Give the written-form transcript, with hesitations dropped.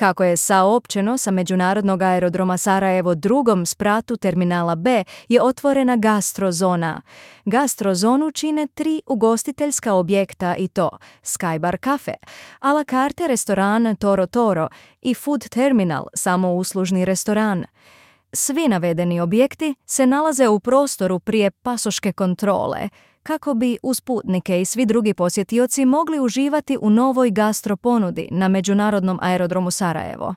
Kako je saopćeno, sa Međunarodnog aerodroma Sarajevo drugom spratu terminala B je otvorena gastrozona. Gastrozonu čine 3 ugostiteljska objekta i to Skybar Cafe, a la carte restoran Toro Toro i Food Terminal, samouslužni restoran. Svi navedeni objekti se nalaze u prostoru prije pasoške kontrole, kako bi uz putnike i svi drugi posjetioci mogli uživati u novoj gastro ponudi na Međunarodnom aerodromu Sarajevo.